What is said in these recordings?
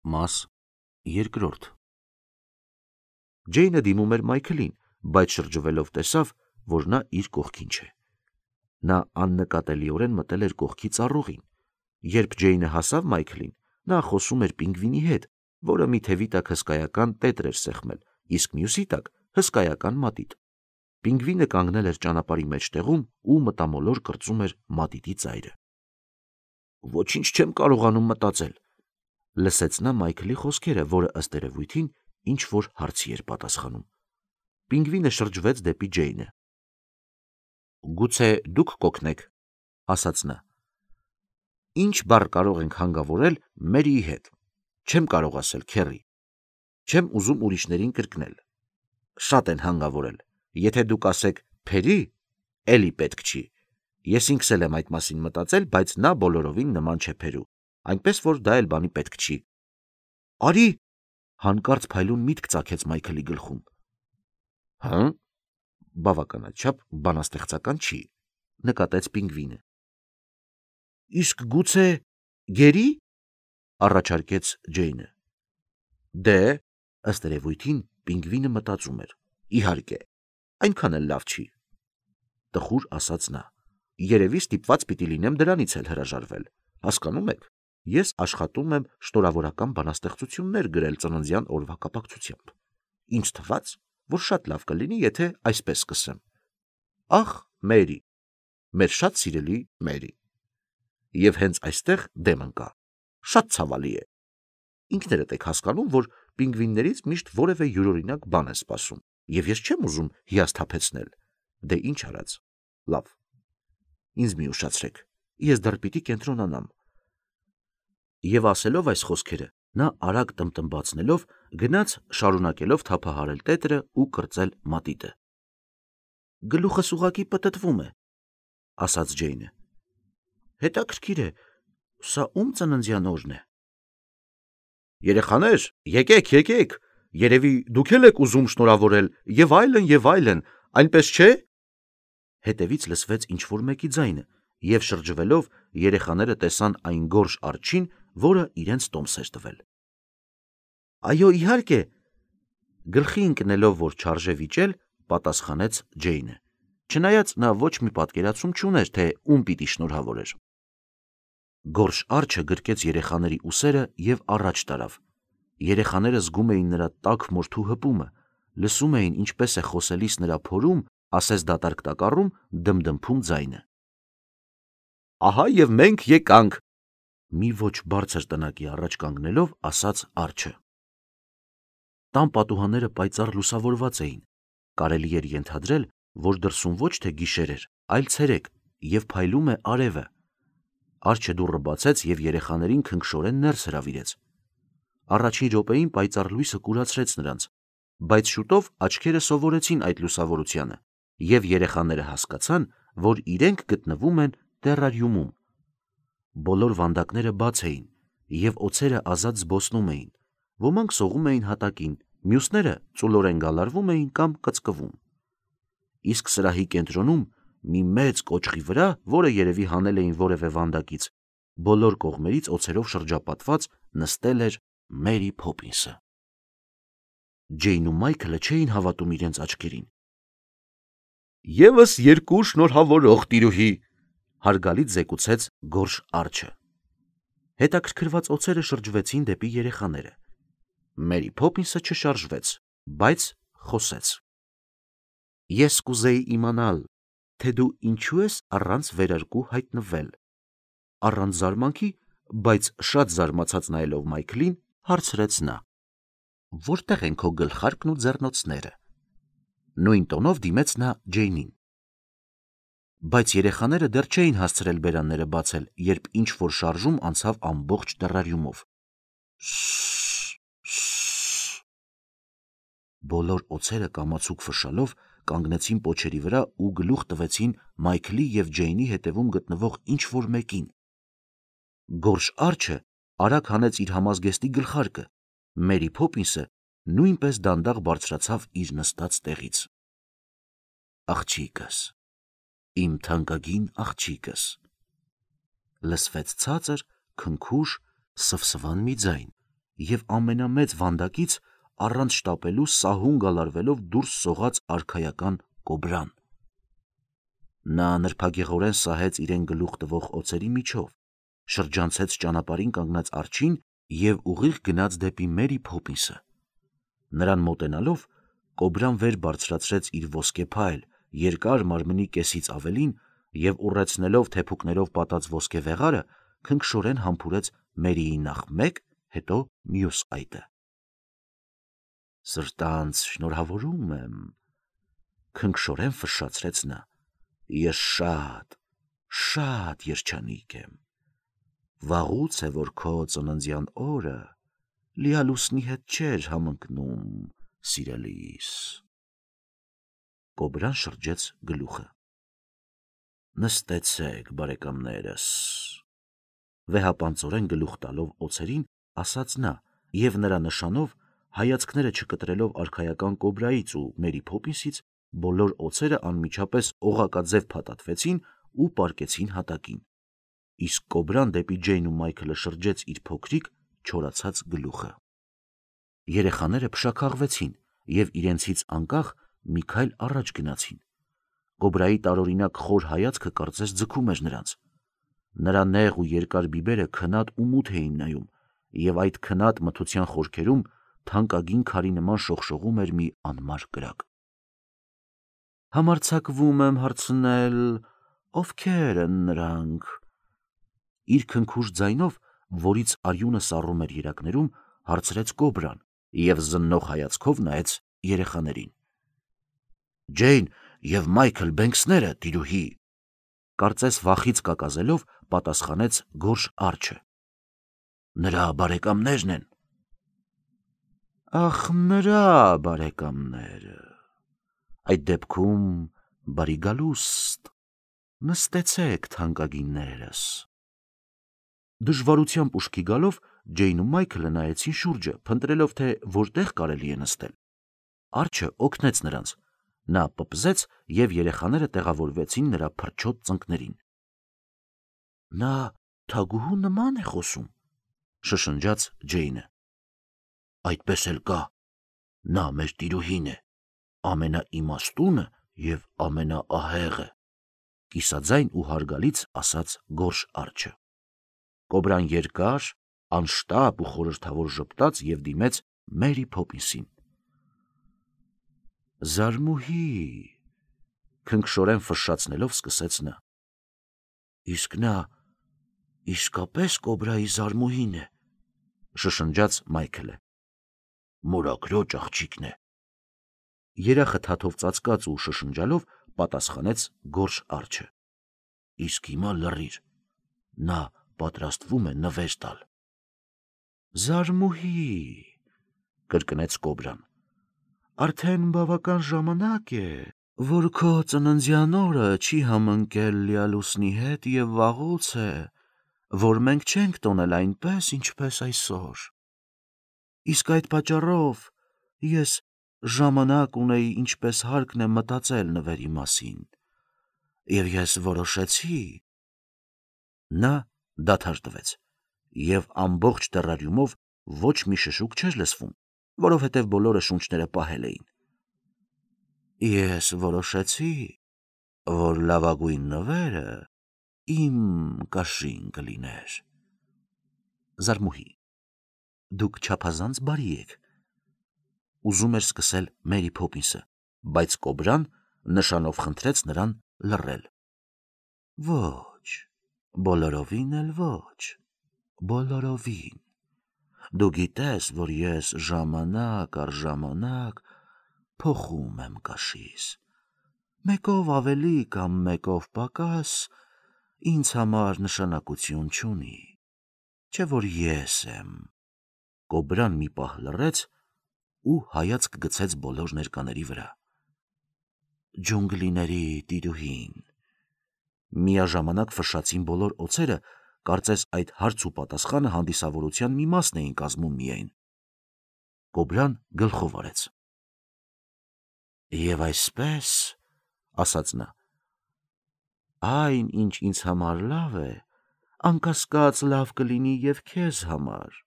Մաս երկրորդ։ Ջեյնը դիմում էր Մայքլին, բայց շրջվելով տեսավ, որ նա իր կողքին չէ։ Նա աննկատելիորեն մտել էր կողքի ծառուղին։ Երբ Ջեյնը հասավ Մայքլին, նա խոսում էր պինգվինի հետ, որը մի թևի տակ հսկայական տետր էր սեղմել, իսկ մյուսի տակ հսկայական մատիտ։ Պինգվինը կանգնել էր ճանապարհի մեջտեղում ու մտամոլոր կրծում էր մատիտի ծայրը։ «Ոչինչ չեմ կարողանում մտածել», լսեց նա Մայքլի խոսքերը, որը ըստ երևույթին ինչ-որ հարցի էր պատասխանում։ Պինգվինը շրջվեց դեպի Ջեյնը։ «Գուցե դուք կօգնեք», ասաց նա։ «Ինչ բառ կարող ենք հանգավորել Մերիի հետ։ Չեմ կարող ասել, Քեռի։ Չեմ ուզում ուրիշներին կրկնել։ Շատ են հանգավորել։ Եթե դուք ասեք Փերի, էլի պետք չի։ Ես ինքս էլ եմ այդ մասին մտածել, բայց նա բոլորովին նման չէ Փերու, այնպես որ դա էլ բանի պետք չի»։ «Արի», հանկարծ փայլուն միտք ծագեց Մայքլի գլխում։ «Հը՞, բավականաչափ բանաստեղծական չի», նկատեց Պինգվինը։ «Իսկ գուցե Գերի», առաջարկեց Ջեյնը։ Դե, ըստ երևույթին Պինգվինը մտածում էր։ Իհարկե, այնքան էլ լավ չի, տխուր ասաց նա։ Երևի ստիպված պիտի լինեմ դրանից էլ հրաժարվել։ Հասկանում եք, ես աշխատում եմ շնորհավորական բանաստեղծություններ գրել ծննդյան օրվա կապակցությամբ։ Ինձ թվաց, որ շատ լավ կլինի, եթե այսպես սկսեմ. Ախ, Մերի, մեր շատ սիրելի Մերի։ Եվ հենց այստեղ դեմ ընկա։ Շատ ցավալի է։ Ինքներդ եք հասկանում, որ պինգվիններից միշտ որևէ յուրօրինակ բան է սպասում, եւ ես չեմ ուզում հիասթափեցնել։ Դե ինչ արած։ Լավ։ Ինձ մի ուշացրեք։ Ես դեռ պիտի կենտրոնանամ։ Եվ ասելով այս խոսքերը, նա արագ տմտմբացնելով գնաց շարունակելով թափահարել տետրը ու կրծել մատիտը։ Գլուխս ուղակի պտտվում է, ասաց Ջեյնը։ Հետաքրքիր է, սա ում ծննդյան օրն է։ Երեխաներ, եկեք, երևի դուք էլ եք ուզում շնորհավորել, եւ այլն, այնպես չէ։ Հետևից լսվեց ինչ-որ մեկի ձայնը, եւ շրջվելով երեխաները տեսան այն գորշ արջին, որը իրենց տոմս էր տվել։ Այո, իհարկե, գլխի ընկնելով, որ չարժե վիճել, պատասխանեց Ջեյնը, չնայած նա ոչ մի պատկերացում չուներ, թե ում պիտի շնորհավորեր։ Գորշ արջը գրկեց երեխաների ուսերը եւ առաջ տարավ։ Երեխաները զգում էին նրա տաք մորթու հպումը, լսում էին ինչպես է խոսելիս նրա փորում, ասես դատարկ տակառում դմդմփում ձայնը։ Ահա եւ մենք եկանք, մի ոչ բարձր տնակի առաջ կանգնելով ասաց արջը։ Տան պատուհանները պայծառ լուսավորված էին, կարելի էր ենթադրել, որ դրսում ոչ թե գիշեր էր, այլ ցերեկ, եւ փայլում է արևը։ Արջը դուռը բացեց եւ երեխաներին քնքշորեն ներս հրավիրեց։ Առաջին րոպեին պայծառ լույսը կուրացրեց նրանց, բայց շուտով աչքերը սովորեցին այդ լուսավորությանը, եւ երեխաները հասկացան, որ իրենք գտնվում են տերարիումում։ Բոլոր վանդակները բաց էին, եւ օձերը ազատ զբոսնում էին, ոմանք սողում էին հատակին, մյուսները ծուլորեն գալարվում էին կամ կծկվում։ Իսկ սրահի կենտրոնում մի մեծ կոճղի վրա, որը երևի հանել էին որևէ վանդակից, բոլոր կողմերից օձերով շրջապատված նստել էր Մերի Փոփինսը։ Ջեյնն ու Մայքլը չէին հավատում իրենց աչքերին։ Եվս երկու շնորհավորող տիրուհի, հարգալից զեկուցեց գորշ արջը։ Հետաքրքրված օձերը շրջվեցին դեպի երեխաները։ Մերի Փոփինսը չշարժվեց, բայց խոսեց։ Ես կուզեի իմանալ, թե դու ինչու ես առանց վերարկու հայտնվել։ Առանց զարմանքի, բայց շատ զարմացած նայելով Մայքլին, հարցրեց նա. Որտեղ են քո գլխարկն ու ձեռնոցները։ Նույն տոնով դիմեց նա Ջեյնին։ Բայց երեխաները դեռ չէին հասցրել բերանները բացել, երբ ինչ-որ շարժում անցավ ամբողջ տերարիումով։ Բոլոր օձերը կամացուկ ֆշալով կանգնեցին պոչերի վրա ու գլուխ տվեցին Մայքլի եւ Ջեյնի հետևում գտնվող ինչ-որ մեկին։ Գորշ արջը արագ հանեց իր համազգեստի գլխարկը։ Մերի Փոփինսը նույնպես դանդաղ բարձրացավ իր նստած տեղից։ Աղջիկս, իմ թանկագին աղջիկս, լսվեց ցածր, քնքուշ, սվսվան մի ձայն, և ամենամեծ վանդակից առանց շտապելու սահուն գալարվելով դուրս սողաց արքայական կոբրան։ Նա նրբագեղորեն սահեց իրեն գլուխ տվող օձերի միջով, շրջանցեց ճանապարհին կանգնած արջին և ուղիղ գնաց դեպի Մերի Փոփինսը։ Նրան մոտենալով, կոբրան վեր բարձրացրեց իր ոսկե փայլ, երկար մարմնի կեսից ավելին և ուռեցնելով թեփուկներով պատած ոսկե վեղարը, քնքշորեն համբուրեց Մերիի նախ մեկ, հետո մյուս այտը։ «Սրտանց շնորհավորում եմ», քնքշորեն ֆշշացրեց նա, «ես շատ երջանիկ եմ։ Վաղուց է, որ քո ծննդյան օրը լիալուսնի հետ չէր համընկնում, սիրելիս»։ Կոբրան շրջեց գլուխը։ «Նստեցեք, բարեկամներս», վեհապանծորեն գլուխ տալով օձերին, ասաց նա և նրա նշանով, հայացքները չկտրելով արքայական կոբրայից ու Մերի Փոփինսից, բոլոր օձերը անմիջապես օղակաձև փաթաթվեցին ու պառկեցին հատակին, իսկ կոբրան դեպի Ջեյն ու Մայքլը շրջեց իր փոքրիկ չորացած գլուխը։ Երեխաները փշաքաղվեցին և իրենցից անկախ մի քայլ առաջ գնացին։ Կոբրայի տարօրինակ խոր հայացքը կարծես ձգում էր նրանց։ Նրա նեղ ու երկար բիբերը քնած ու մութ էին նայում, և այդ քնած մթության խորքերում թանկագին քարի նման շողշողում էր մի անմար կրակ։ «Համարձակվում եմ հարցնել, ովքեր են նրանք», իր քնքուշ ձայնով, որից արյունը սառում էր երակներում, հարցրեց կոբրան և զննող հայացքով նայեց երեխաներին։ «Ջեյն և Մայքլ Բենքսները, տիրուհի», կարծես վախից կակազելով պատասխանեց գորշ արջը։ «Նրա բարեկամներն են»։ «Ախ, նրա բարեկամները, այդ դեպքում բարի գալուստ, նստեցեք, թանկագիններս»։ Դժվարությամբ ուշքի գալով Ջեյն ու Մայքլը նայեցին շուրջը, փնտրելով, թե որտեղ կարելի է նստել։ Արջը օգնեց նրանց։ Նա պպզեց, և երեխաները տեղավորվեցին նրա փրչոտ ծնկներին։ «Նա թագուհու նման է խոսում», շշնջաց Ջեյնը։ «Այդպես էլ կա, նա մեր տիրուհին է, ամենաիմաստունը և ամենաահեղը», կիսաձայն ու հարգալից ասաց գորշ արջը։ Կոբրան երկար, անշտապ ու խորհրդավոր ժպտաց և դիմեց Մերի Փոփինսին։ «Զարմուհի», քնքշորեն ֆշշացնելով սկսեց նա։ «Իսկ նա իսկապես կոբրայի զարմուհին է», շշնջաց Մայքլը։ «Մորաքրոջ աղջիկն է», երախը թաթով ծածկած ու շշնջալով պատասխանեց գորշ արջը։ «Իսկ հիմա լռիր, նա պատրաստվում է նվեր տալ»։ «Զարմուհի», կրկնեց կոբրան, «արդեն բավական ժամանակ է, որ քո ծննդյան օրը չի համընկել լիալուսնի հետ և վաղուց է, որ մենք չենք տոնել այնպես, ինչպես այսօր։ Իսկ այդ պատճառով ես ժամանակ ունեի ինչպես հարկն է մտածել նվերի մասին, և ես որոշեցի»։ Նա դադար տվեց, և ամբողջ տեռարիումով ոչ մի շշուկ չէր լսվում, որովհետև բոլորը շունչները պահել էին։ «Ես որոշեցի, որ լավագույն նվերը իմ կաշին կլիներ»։ «Զարմուհի, դուք չափազանց բարի եք», ուզում էր սկսել Մերի Փոփինսը, բայց կոբրան նշանով խնդրեց նրան լռել։ «Ոչ, բոլորովին էլ ոչ, բոլորովին։ Դու գիտես, որ ես ժամանակ առ ժամանակ փոխում եմ կաշիս։ Մեկով ավելի կամ մեկով պակաս ինձ համար նշանակություն չունի, չէ՞ որ ես եմ»։ Կոբրան մի պահ լռեց ու հայացք գցեց բոլոր ներկաների վրա։ «Ջունգլիների տիրուհին», միաժամանակ ֆշշացին բոլոր օձերը, կարծես այդ հարց ու պատասխանը հանդիսավորության մի մասն էին կազմում միայն։ Կոբրան գլխով արեց։ «Եվ այսպես, — ասաց նա, — այն, ինչ ինձ համար լավ է, անկասկած լավ կլինի և քեզ համար։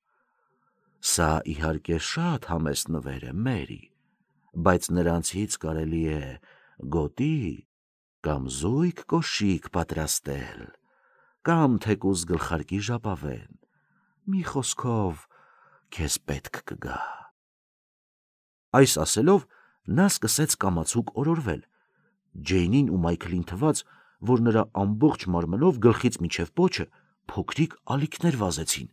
Սա իհարկե շատ համեստ նվեր է, Մերի, բայց նրանցից կարելի է գոտի կամ զույգ կոշիկ պատրաստել, կամ թեկուզ գլխարկի ժապավեն, մի խոսքով քեզ պետք կգա։ Այս ասելով նա սկսեց կամացուկ օրորվել։ Ջեյնին ու Մայքլին թվաց, որ նրա ամբողջ մարմնով գլխից մինչև պոչը փոքրիկ ալիքներ վազեցին։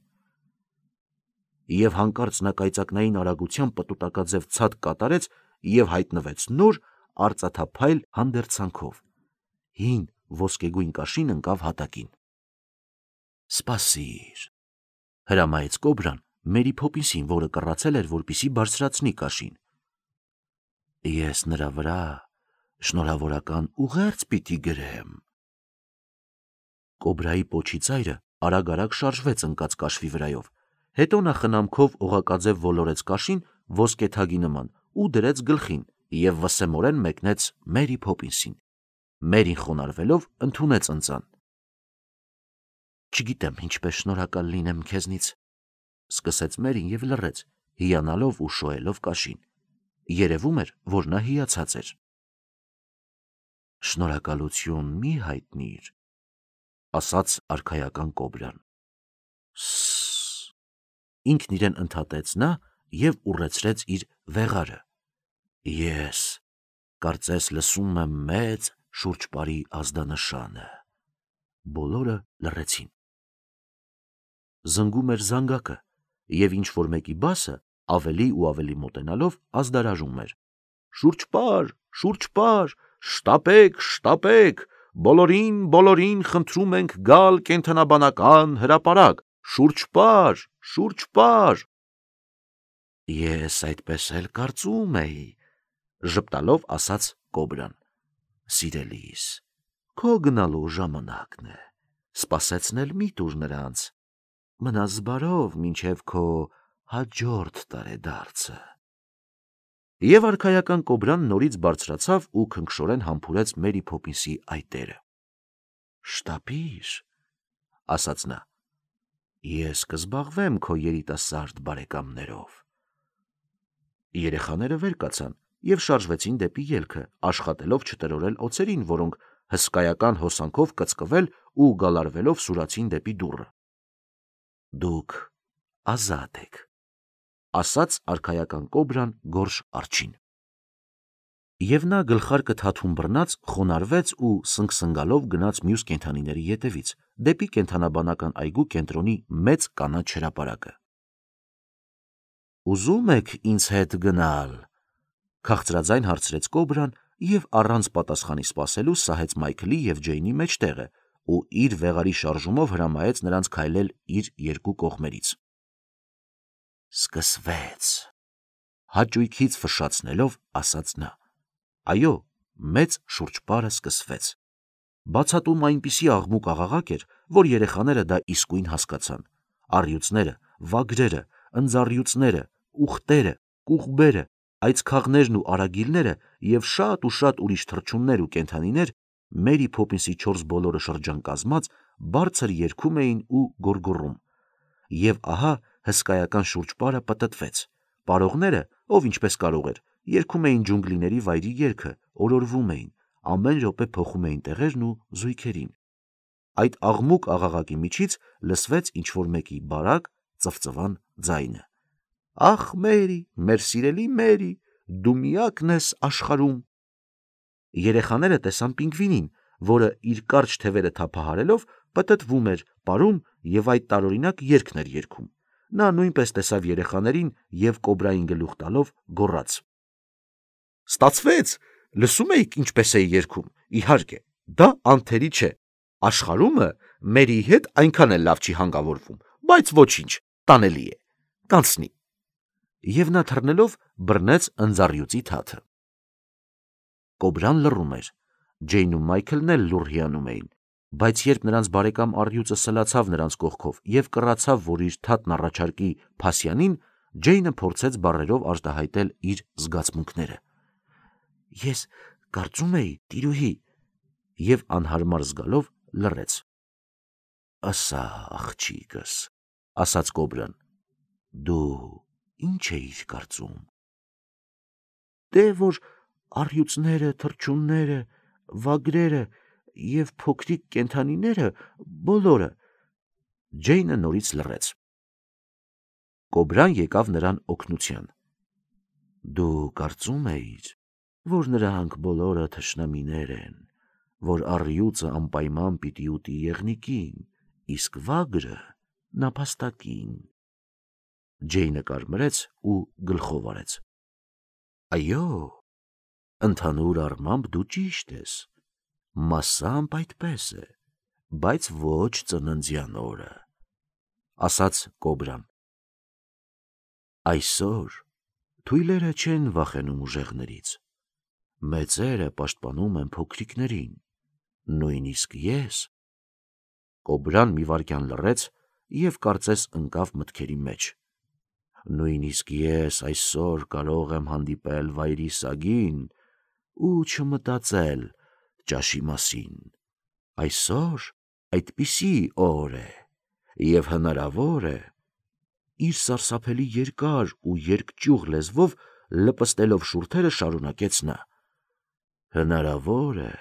Եվ հանկարծ նա կայծակնային արագությամբ պտուտակաձև ցած կատարեց և հայտնվեց նոր արծաթափայլ հանդերձանքով։ Հին ոսկեգույն կաշին ընկավ հատակին։ Սպասիր, հրամայեց կոբրան Մերի Փոփինսին, որը կռացել էր, որպեսզի բարձրացնի կաշին։ Ես նրա վրա շնորհավորական ուղերձ պիտի գրեմ։ Կոբրայի պոչի ծայրը արագ-արագ շարժվեց ընկած կաշվի վրայով, հետո նա խնամքով օղակաձև ոլորեց կաշին ոսկեթագի նման ու դրեց գլխին և վսեմորեն մեկնեց Մերի Փոփինսին։ Մերին խոնարհվելով ընդունեց ընծան։ Չգիտեմ ինչպես շնորհակալ լինեմ քեզնից, սկսեց Մերին և լռեց, հիանալով ու շոյելով կաշին։ Երևում էր, որ նա հիացած էր։ Շնորհակալություն մի հայտնիր, ասաց արքայական կոբրան։ Ինքն իրեն ընդհատեց նա և ուռեցրեց իր վեղարը։ Ես կարծես լսում եմ մեծ շուրջպարի ազդանշանը։ Բոլորը լռեցին։ Զնգում էր զանգակը, և ինչ-որ մեկի բասը ավելի ու ավելի մոտենալով ազդարարում էր. Շուրջպար, շուրջպար, շտապեք, շտապեք, բոլորին խնդրում ենք գալ կենդանաբանական հրապարակ, շուրջպար, շուրջպար։ Ես այդպես էլ կարծում էի, ժպտալով ասաց կոբրան։ Սիրելիս, քո գնալու ժամանակն է, սպասեցնել մի տուր նրանց, մնաս բարով մինչև քո հաջորդ տարեդարձը։ Եվ արքայական կոբրան նորից բարձրացավ ու քնքշորեն համբուրեց Մերի Փոփինսի այտերը։ Շտապիր, ասաց նա, ես կզբաղվեմ քո երիտասարդ բարեկամներով։ Երեխաները վեր կացան և շարժվեցին դեպի ելքը, աշխատելով չտրորել օձերին, որոնք հսկայական հոսանքով կծկվել ու գալարվելով սուրացին դեպի դուռը։ Դուք ազատ եք, ասաց արքայական կոբրան գորշ արջին։ Եվ նա գլխարկը թաթուն բռնած խոնարհվեց ու սնգսնգալով գնաց մյուս կենդանիների ետևից, դեպի կենդանաբանական այգու կենտրոնի մեծ կանաչ հրապարակը։ Ուզում եք ինձ հետ գնալ, քաղցրաձայն հարցրեց կոբրան և առանց պատասխանի սպասելու սահեց Մայքլի և Ջեյնի մեջտեղը ու իր վեղարի շարժումով հրամայեց նրանց քայլել իր երկու կողմերից։ Սկսվեց, հաճույքից ֆշշացնելով ասաց նա։ Այո, մեծ շուրջպարը սկսվեց։ Բացատում այնպիսի աղմուկ-աղաղակ էր, որ երեխաները դա իսկույն հասկացան։ Առյուծները, վագրերը, ընձառյուծները, ուղտերը, կուղբերը, այծքաղներն ու արագիլները և շատ ուրիշ թռչուններ ու կենդանիներ Մերի Փոփինսի 4 բոլորը շրջան կազմած բարձր երգում էին ու գոռգոռում։ Եվ ահա հսկայական շուրջպարը պտտվեց։ Պարողները, ով ինչպես կարող էր, երգում էին ջունգլիների վայրի երգը, օրորվում էին, ամեն րոպե փոխում էին տեղերն ու զույգերին։ Այդ աղմուկ-աղաղակի միջից լսվեց ինչ-որ մեկի բարակ ծվծվան ձայնը։ Ախ, Մերի, մեր սիրելի Մերի, դու միակն ես աշխարհում։ Երեխաները տեսան պինգվինին, որը իր կարճ թևերը թափահարելով պտտվում էր, պարում և այդ տարօրինակ երգն էր երգում։ Նա նույնպես տեսավ երեխաներին և կոբրային գլուխ տալով գոռաց. Ստացվեց, լսում էիք ինչպես էի երգում, իհարկե, դա անթերի չէ, աշխարհումը Մերիի հետ այնքան էլ լավ չի հանգավորվում, բայց ոչինչ, տանելի է, կանցնի։ Եվ նա թռնելով բռնեց ընձառյուծի թաթը։ Կոբրան լռում էր, Ջեյնն ու Մայքլն էլ լուռ հիանում էին, բայց երբ նրանց բարեկամ առյուծը սլացավ նրանց կողքով և կռացավ, որ իր թաթն առաջարկի Փասյանին, Ջեյնը փորձեց բառերով արտահայտել իր զգացմունքները։ Ես կարծում էի, տիրուհի, և անհարմար զգալով լռեց։ Ասա, աղջիկս, ասաց կոբրան, դու ինչ էիր կարծում։ Դե որ առյուծները, թռչունները, վագրերը և փոքրիկ կենդանիները բոլորը։ Ջեյնը նորից լռեց։ Կոբրան եկավ նրան օգնության։ Դու կարծում էիր, որ նրանք բոլորը թշնամիներ են, որ առյուծը անպայման պիտի ուտի եղնիկին, իսկ վագրը նապաստակին։ Ջեյնը կարմրեց ու գլխով արեց։ Այո, ընդհանուր առմամբ դու ճիշտ ես, մասամբ այդպես է, բայց ոչ ծննդյան օրը, ասաց կոբրան։ Այսօր թույլերը չեն վախենում ուժեղներից, մեծերը պաշտպանում են փոքրիկներին, նույնիսկ ես։ Կոբրան մի վայրկյան լռեց և կարծես ընկավ մտքերի մեջ։ Նույնիսկ ես այսօր կարող եմ հանդիպել վայրի սագին ու չմտածել ճաշի մասին։ Այսօր այդպիսի օր է, և հնարավոր է, իր սարսափելի երկար ու երկճյուղ լեզվով լպստելով շուրթերը շարունակեց նա. հնարավոր է,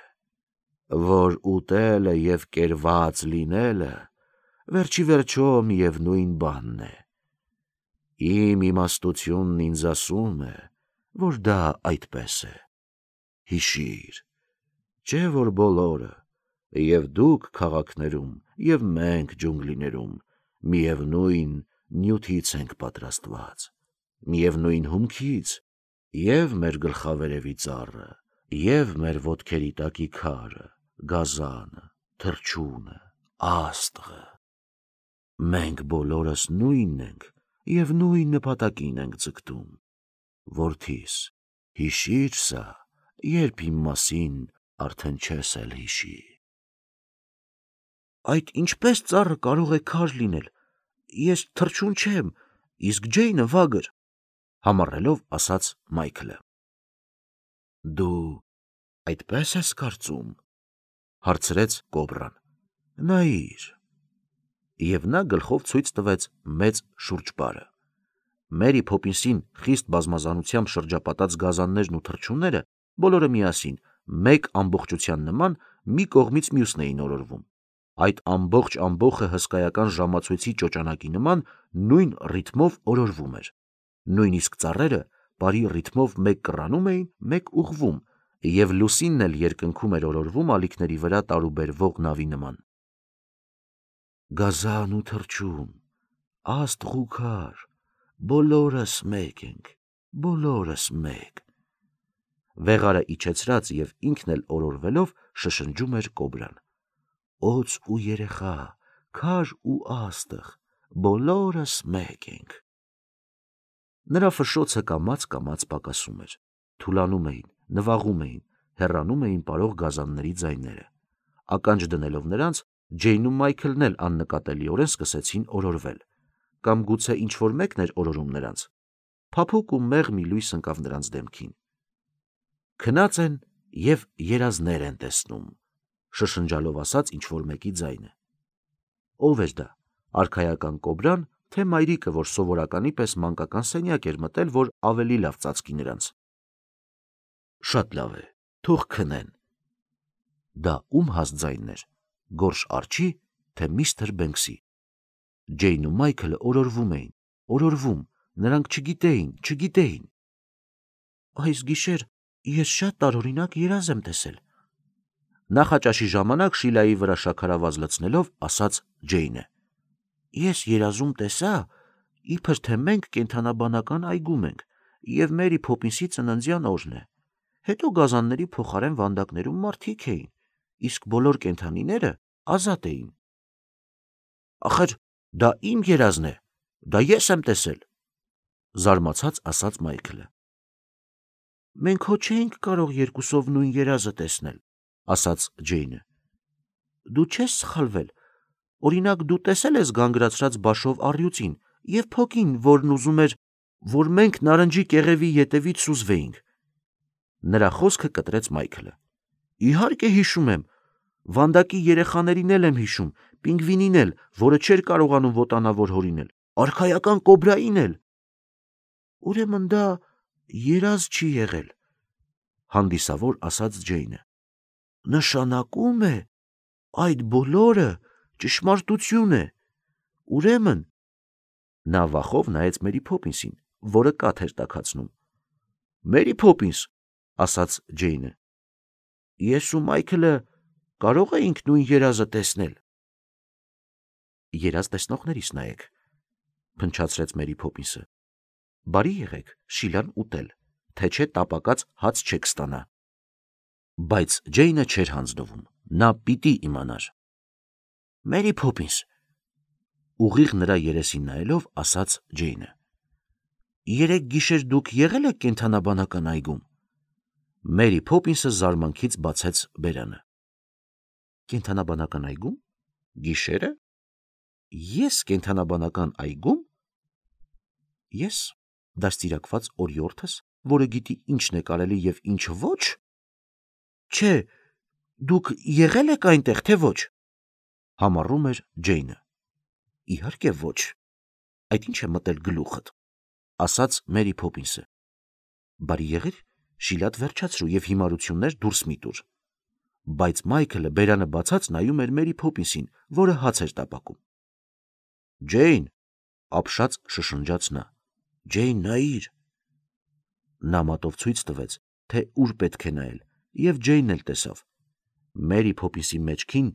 որ ուտելը և կերված լինելը վերջի վերջո միևնույն բանն է։ Իմ իմաստությունն ինձ ասում է, որ դա այդպես է։ Հիշիր, չէ՞ որ բոլորը, և դուք քաղաքներում, և մենք ջունգլիներում, միևնույն նյութից ենք պատրաստված, միևնույն հումքից, և մեր գլխավերևի ծառը, և մեր ոտքերի տակի քարը, գազանը, թռչունը, աստղը։ Մենք բոլորս նույնն ենք և նույն նպատակին ենք ձգտում։ Որդիս, հիշիր սա, երբ իմ մասին արդեն չես էլ հիշի։ Այդ ինչպես ծառը կարող է քար լինել, ես թռչուն չեմ, իսկ Ջեյնը վագր, համառելով ասաց Մայքլը։ Դու այդպես ես կարծում, հարցրեց կոբրան։ Նայիր։ Եվ նա գլխով ցույց տվեց մեծ շուրջպարը։ Մերի Փոփինսին խիստ բազմազանությամբ շրջապատած գազաններն ու թռչունները բոլորը միասին, մեկ ամբողջության նման, մի կողմից մյուսն էին օրորվում։ Այդ ամբողջ ամբոխը հսկայական ժամացույցի ճոճանակի նման նույն ռիթմով օրորվում էր։ Նույնիսկ ծառերը բարի ռիթմով մեկ կռանում էին, մեկ ուղղվում, և լուսինն էլ երկնքում էր օրորվում ալիքների վրա տարուբերվող նավի նման։ Գազան ու թռչուն, աստղ ու քար, բոլորս մեկ ենք, բոլորս մեկ։ Վեղարը իջեցրած և ինքն էլ օրորվելով շշնջում էր կոբրան։ Օձ ու երեխա, քար ու աստղ, բոլորս մեկ ենք։ Նրա ֆշշոցը կամաց պակասում էր, թուլանում էին, նվաղում էին, հեռանում էին պարող գազանների ձայները։ Ականջ դնելով նրանց, Ջեյնն ու Մայքլն էլ աննկատելիորեն սկսեցին օրորվել, կամ գուցե ինչ-որ մեկն էր օրորում նրանց։ Փափուկ ու մեղ մի լույս ընկավ նրանց դեմքին։ Քնած են և երազներ են տեսնում, շշնջալով ասաց ինչ-որ մեկի ձայնը։ Ո՞վ էր դա, արքայական կոբրան, թե մայրիկը, որ սովորականի պես մանկական սենյակ էր մտել, որ ավելի լավ ծածկի նրանց։ Շատ լավ է, թող քնեն։ Դա ում հաստ ձայնն էր, Գորշ Արջի, թե միստր Բենքսի։ Ջեյնն ու Մայքլը օրորվում էին, օրորվում, նրանք չգիտեին։ Այս գիշեր ես շատ տարօրինակ երազ եմ տեսել։ Նախաճաշի ժամանակ շիլայի վրա շաքարավազ լցնելով ասաց Ջեյնը։ Ես երազում տեսա, իբր թե մենք կենդանաբանական այգում ենք, և Մերի Փոփինսի ծննդյան օրն է։ Հետո գազանների փոխարեն վանդակներում մարդիկ էին, իսկ բոլոր կենդանիները ազատ էին։ Ախր դա իմ երազն է, դա ես եմ տեսել, զարմացած ասաց Մայքլը։ Մենք հո չէինք կարող երկուսով նույն երազը տեսնել, ասաց Ջեյնը։ Դու չես սխալվել, օրինակ դու տեսել ես գանգրացրած բաշով առյուծին և փոքին, որն ուզում էր, որ մենք նարնջի կեղևի ետևից սուզվեինք։ Նրա խոսքը կտրեց Մայքլը։ Իհարկե հիշում եմ, վանդակի երեխաներին էլ եմ հիշում, պինգվինին էլ, որը չէր կարողանում ոտանավոր հորինել, արքայական կոբրային էլ։ Ուրեմն դա երազ չի եղել, հանդիսավոր ասաց Ջեյնը։ Նշանակում է, այդ բոլորը ճշմարտություն է։ Ուրեմն նա վախով նայեց Մերի Փոփինսին, որը կաթ էր տաքացնում։ Մերի Փոփինս, ասաց Ջեյնը, ես ու Մայքլը կարող էինք նույն երազը տեսնել։ Երազ տեսնողներիս նայեք, փնչացրեց Մերի Փոփինսը։ Բարի եղեք շիլան ուտել, թե չէ տապակած հաց չեք ստանա։ Բայց Ջեյնը չէր հանձնվում, նա պիտի իմանար։ Մերի Փոփինս, ուղիղ նրա երեսին նայելով, ասաց Ջեյնը, երեկ գիշեր դուք եղել եք կենդանաբանական այգում։ Մերի Փոփինսը զարմանքից բացեց բերանը։ Կենդանաբանական այգում։ Գիշերը։ Ես կենդանաբանական այգում։ Ես դաստիարակված օրիորդս, որը գիտի ինչն է կարելի եւ ինչը ոչ։ Չէ, դուք եղել եք այնտեղ, թե ոչ։ Համառում էր Ջեյնը։ Իհարկե ոչ։ Այդ ինչ է մտել գլուխդ, ասաց Մերի Փոփինսը։ Բարի եղիր, շիլատ վերջացրու եւ հիմարություններ դուրս մի տուր։ Բայց Մայքլը բերանը բացած նայում էր Մերի Փոփինսին, որը հաց էր տապակում։ Ջեյն, ապշած շշնջաց նա։ Ջեյն, նայիր։ Նա մատով ցույց տվեց, թե ուր պետք է նայել, եւ Ջեյնն էլ տեսավ։ Մերի Փոփինսի մեջքին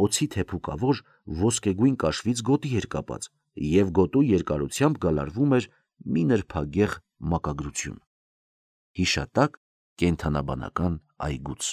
օձի թեփուկավոր ոսկեգույն կաշվից գոտի էր կապած, եւ գոտու երկարությամբ գալարվում էր մի նրբագեղ մակագրություն։ Հիշատակ կենդանաբանական այգուց։